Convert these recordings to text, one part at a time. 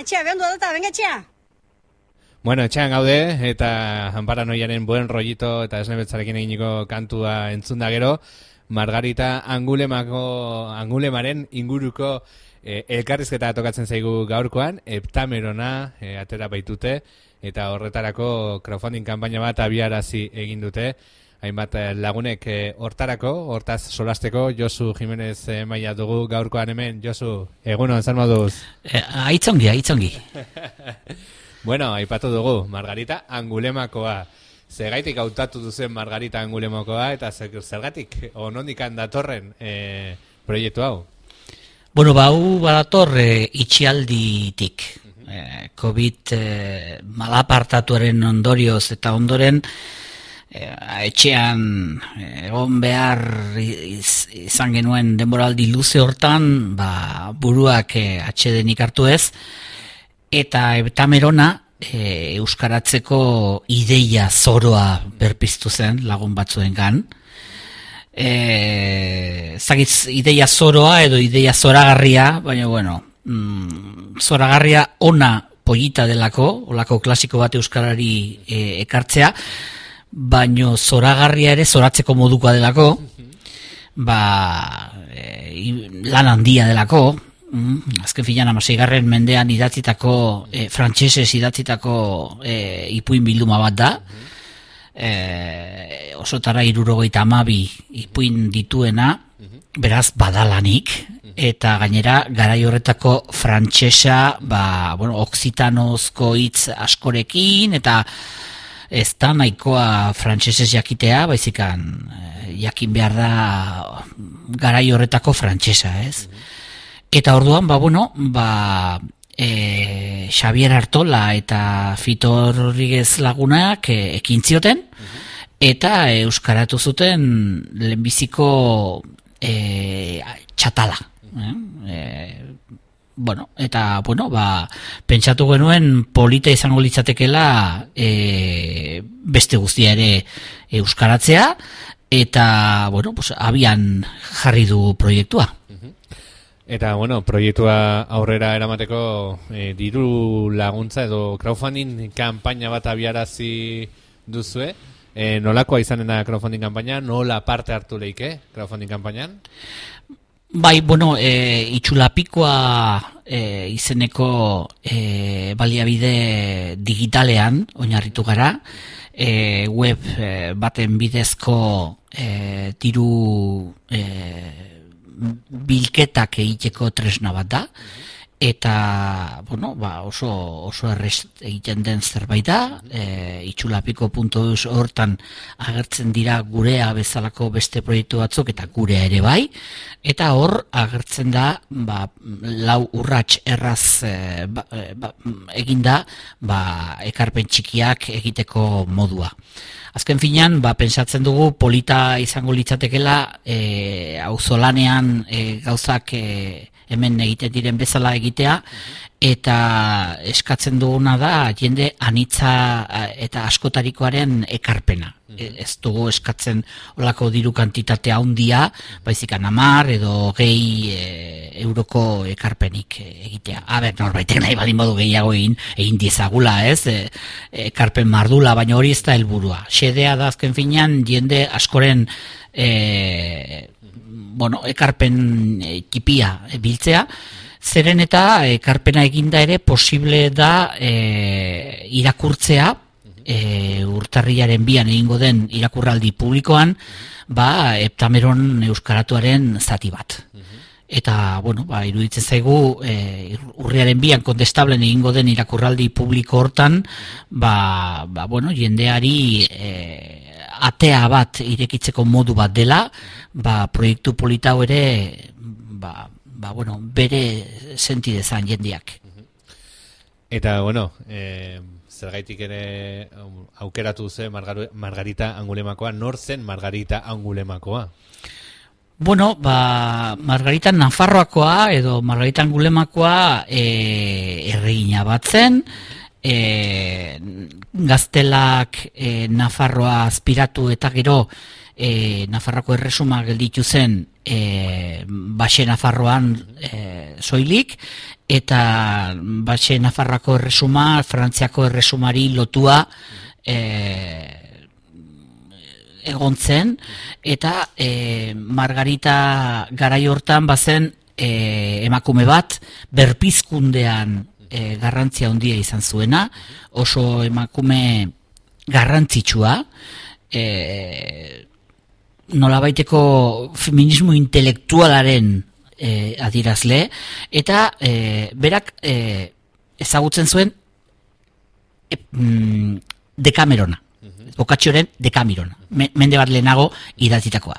Etxea, behondu dut, venga etxea. Bueno, etxean gaude, eta Anparanoiaren buen rollito eta esnebetzarekin eginiko kantua entzun da gero, Margarita Angulemaren inguruko elkarrizketa tokatzen zaigu gaurkoan, Heptamerona atera baitute, eta horretarako crowdfunding kanpaina bat abiarazi egin dute, hainbat lagunek hortaz solasteko. Josu Jimenez maila dugu gaurkoan hemen. Josu, egunon, zer moduz? Aitzongi. Bueno, aipatu dugu, Margarita Angulemakoa. Zergatik hautatu duzen Margarita Angulemakoa, eta zergatik nondik datorren proiektu hau? Bueno, hau badator itxialditik. COVID malapartatuaren ondorioz eta ondoren etxean egon behar izan genuen denboraldi luze hortan, buruak atsedenik hartu ez, eta Heptamerona euskaratzeko ideia zoroa berpiztu zen lagun batzuengan. Zagitz ideia zoroa edo ideia zoragarria, baina zoragarria ona pollita delako, olako klasiko bat euskarari ekartzea, baino zoragarria ere zoratzeko modukoa delako, lan handia delako, azken filan 16. mendean idatzitako, frantsesez idatzitako ipuin bilduma bat da, osotara 72 ipuin dituena, beraz badalanik, eta gainera garai horretako frantsesa, oksitanozko hitz askorekin, eta ez da nahikoa frantsesez jakitea, baizikan jakin behar da garai horretako frantsesa, ez? Eta orduan, Xavier Artola eta Fito Rodriguez lagunak ekin zioten, eta euskaratu zuten lehenbiziko txatala. Pentsatu genuen polita izango litzatekela beste guztia ere euskaratzea, eta abian jarri du proiektua. Eta proiektua aurrera eramateko diru laguntza edo crowdfunding kanpaina bat abiarazi duzue. Nolakoa izanen da crowdfunding kanpaina? Nola parte hartu leike crowdfunding kanpainan? Itxulapikoa izeneko baliabide digitalean oinarritu gara, web baten bidezko diru bilketak egiteko tresna bat da, eta oso errez egiten den zerbait da, itxulapiko.eus hortan agertzen dira gurea bezalako beste proiektu batzuk eta gurea ere bai, eta hor agertzen da 4 urrats erraz eginda ekarpen txikiak egiteko modua. Azken finean, pentsatzen dugu polita izango litzatekela auzolanean gauzak hemen egiten diren bezala egitea, eta eskatzen duguna da jende anitza eta askotarikoaren ekarpena. Ez dugu eskatzen olako diru kantitatea handia, baizik 10 edo 20 euroko ekarpenik egitea. Norbaitek nahi baldin badu gehiago egin diezagula, ez? Ekarpen mardula, baina hori ez da helburua. Xedea da azken finean jende askoren ekarpen txipia biltzea, zeren eta ekarpena eginda ere posible da irakurtzea, urtarrilaren 2 egingo den irakurraldi publikoan, Heptameron euskaratuaren zati bat. Eta, iruditzen zaigu, urriaren 2 kontestablen egingo den irakurraldi publiko hortan, jendeari atea bat irekitzeko modu bat dela, proiektu politau ere, bere sentidezan jendeak. Eta, zergaitik ere aukeratu ze Margarita Angulemakoa, nor zen Margarita Angulemakoa? Margarita Nafarroakoa edo Margarita Angulemakoa erregina bat zen, gaztelak Nafarroa aspiratu eta gero Nafarroako erresuma gelditu zen Baxe Nafarroan soilik, eta batxe Nafarroako erresuma, Frantziako erresumari lotua egon zen, eta Margarita garai hortan bazen emakume bat berpizkundean garrantzia handia izan zuena, oso emakume garrantzitsua, nolabaiteko feminismo intelektualaren adierazle, eta berak ezagutzen zuen Dekamerona, Boccaccionen Dekamerona, mende bat lehenago idatzitakoa.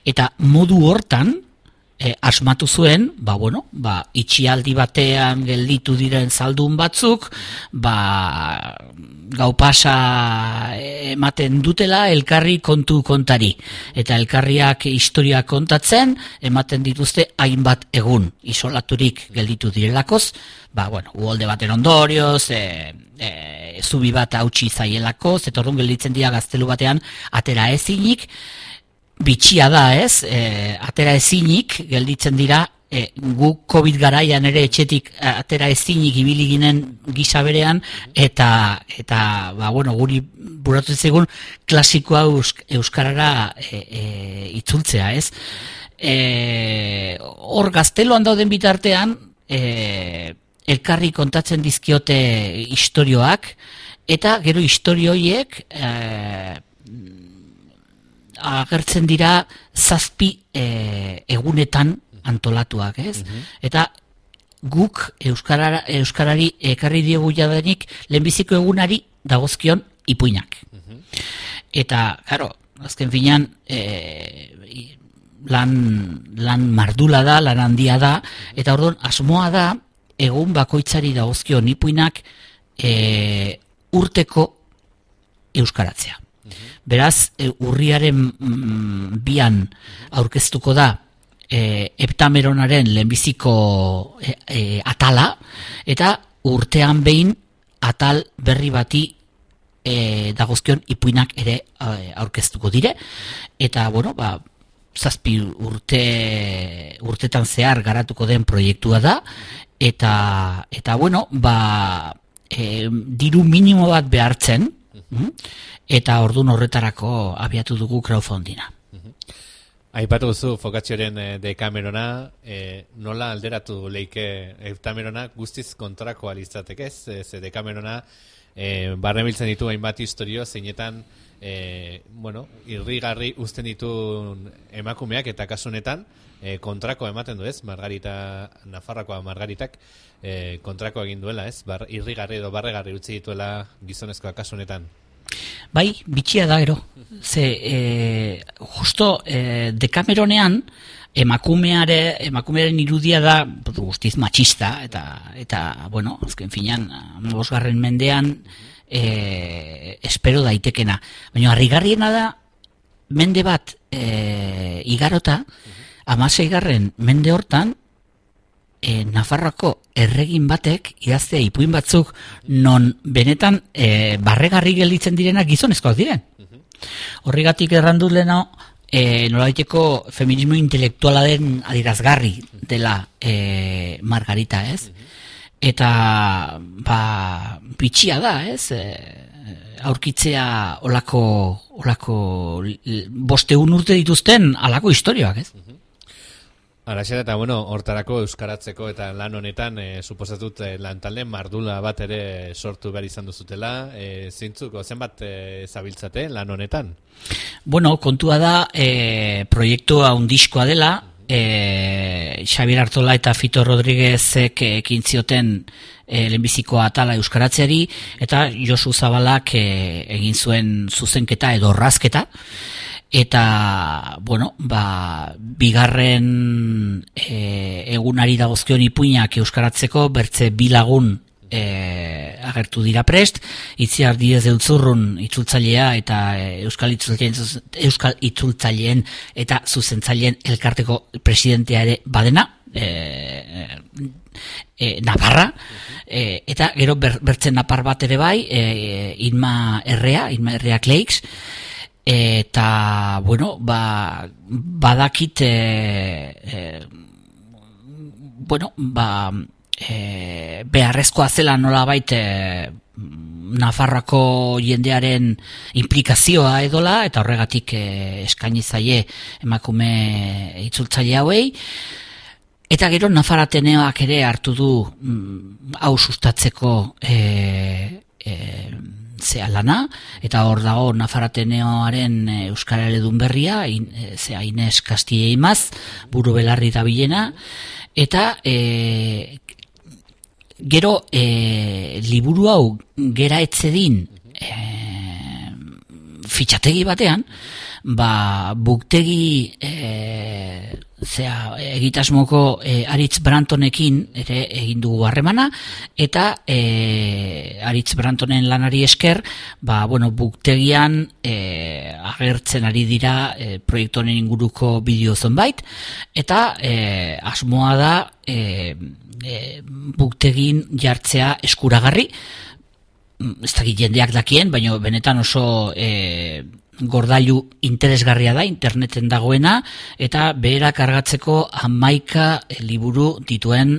Eta modu hortan asmatu zuen, itxialdi batean gelditu diren zaldun batzuk, gau pasa ematen dutela elkarri kontu kontari. Eta elkarriak historia kontatzen, ematen dituzte hainbat egun, isolaturik gelditu direlakoz, uholde baten ondorioz, zubi bat hautsi zaielakoz, eta orduan gelditzen dira gaztelu batean atera ezinik, bitxia da, atera ezinik gelditzen dira, gu COVID garaian ere etxetik atera ezinik ibili ginen gisa berean, eta guri buratu zigun klasikoa euskarara itzultzea, hor gazteloan dauden bitartean, elkarri kontatzen dizkiote istorioak, eta gero istorioiek agertzen dira 7 egunetan antolatuak, Eta guk euskarari ekarri diegu jadanik lehenbiziko egunari dagozkion ipuinak. Eta, claro, azken finean lan mardula da, lan handia da, eta orduan asmoa da egun bakoitzari dagozkion ipuinak urteko euskaratzea. Beraz, urriaren 2an aurkeztuko da Heptameronaren lehenbiziko atala, eta urtean behin atal berri bati dagozkion ipuinak ere aurkeztuko dire, eta 7 urtetan zehar garatuko den proiektua da, eta diru minimo bat behartzen, eta ordun horretarako abiatu dugu crowdfundinga. Aipatu duzu Boccaccionen Dekamerona, nola alderatu leike Heptamerona guztiz kontrakoa litzateke, ze Dekamerona barnebiltzen ditu hainbat historio, zeinetan irrigarri uzten ditu emakumeak, eta kasu honetan kontrakoa ematen du, Margarita, Nafarroakoa Margaritak kontrakoa egin duela, irrigarri edo barregarri utzi dituela gizonezkoa kasu honetan. Bai, bitxia da gero. Ze, justo Dekameronean emakumearen irudia da guztiz matxista, eta azken finean, 15. mendean espero daitekena. Baina harrigarriena da, mende bat igarota, 16. mende hortan, Nafarroako erregin batek idaztea ipuin batzuk non benetan barregarri gelditzen direnak gizonezkoak diren. Horregatik errandut lehena nolabaiteko feminismo intelektuala den adierazgarri dela Margarita, Eta bitxia da, aurkitzea olako 5 urte dituzten alako historioak, Araxera, eta hortarako euskaratzeko eta lan honetan suposatut lantalde mardula bat ere sortu behar izan duzutela, zenbat zabiltzate lan honetan? Kontua da proiektua handiskoa dela, Xabier Artola eta Fito Rodriguezek ekin zioten lehenbiziko atala euskaratzeari, eta Josu Zabalak egin zuen zuzenketa edo orrazketa, eta, bigarren egunari dagozkion ipuinak euskaratzeko bertze 2 lagun agertu dira prest, Itziar Diez de Utzurrun itzultzailea eta Euskal Itzultzaileen eta zuzentzaileen elkarteko presidentea ere badena, Navarra, eta gero bertzen napar bat ere bai, Inma Herrea Kleix, eta, badakit, beharrezkoa zela nolabait Nafarroako jendearen implikazioa edola, eta horregatik eskaini zaie emakume itzultzaile hauei. Eta gero Nafar Ateneoak ere hartu du hau sustatzeko lana, eta hor dago Nafar Ateneoaren Euskara Eledun berria, Inez Castilla Imaz, buru belarri da bilena, eta gero liburu hau gera etzedin fitxategi batean, buktegi egitasmoko Aritz Brantonekin ere egin dugu harremana, eta Aritz Brantonen lanari esker, buktegian agertzen ari dira proiektu honen inguruko bideo zonbait, eta asmoa da buktegin jartzea eskuragarri, ez dakit jendeak dakien, baina benetan oso gordailu interesgarria da, interneten dagoena, eta behera kargatzeko 11 liburu dituen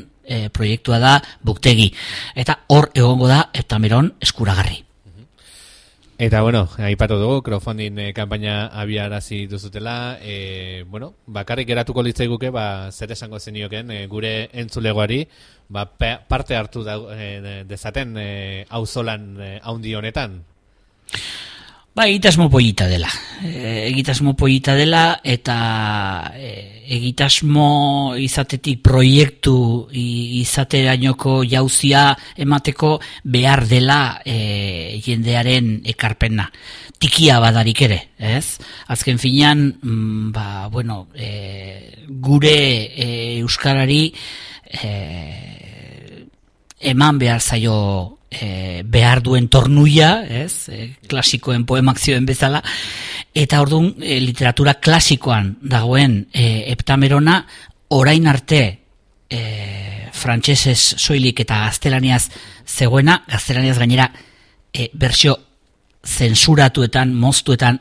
proiektua da buktegi. Eta hor egongo da Heptameron eskuragarri. Eta, aipatu dugu, crowdfunding kanpaina abiarazi duzutela, bakarrik geratuko litzaiguke, zer esango zenioken, gure entzulegoari, parte hartu dezaten auzolan haundi honetan. Egitasmo polita dela. Eta egitasmo izatetik proiektu izaterainoko jauzia emateko behar dela jendearen ekarpena. Tikia badarik ere, ez? Azken finean, gure euskarari eman behar zaio behar duen tornuia, ez? Klasikoen poemak zioen bezala, eta orduan literatura klasikoan dagoen Heptamerona orain arte frantsesez soilik eta gaztelaniaz zegoena, gaztelaniaz gainera bertsio zensuratuetan, moztuetan,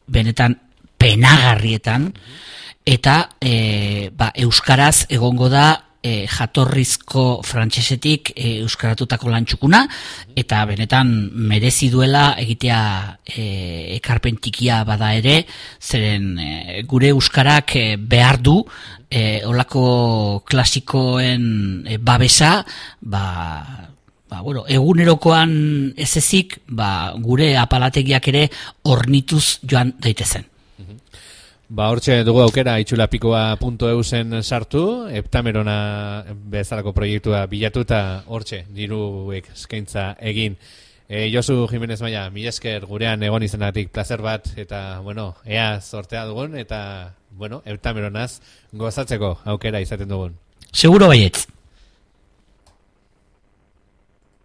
benetan penagarrietan, eta euskaraz egongo da jatorrizko frantsesetik euskaratutako lantxukuna, eta benetan merezi duela egitea ekarpen tikia bada ere, zeren gure euskarak behar du olako klasikoen babesa, egunerokoan ez ezik, gure apalategiak ere hornituz joan daitezen. Hortxe dugu aukera itxulapikoa.eusen sartu, Heptamerona bezalako proiektua bilatu eta hortxe diruek eskaintza egin. Josu Jimenez Maia, mila esker gurean egon izenatik plazer bat, eta ea sortea dugun, eta Heptameronaz gozatzeko aukera izaten dugun. Seguro baietz.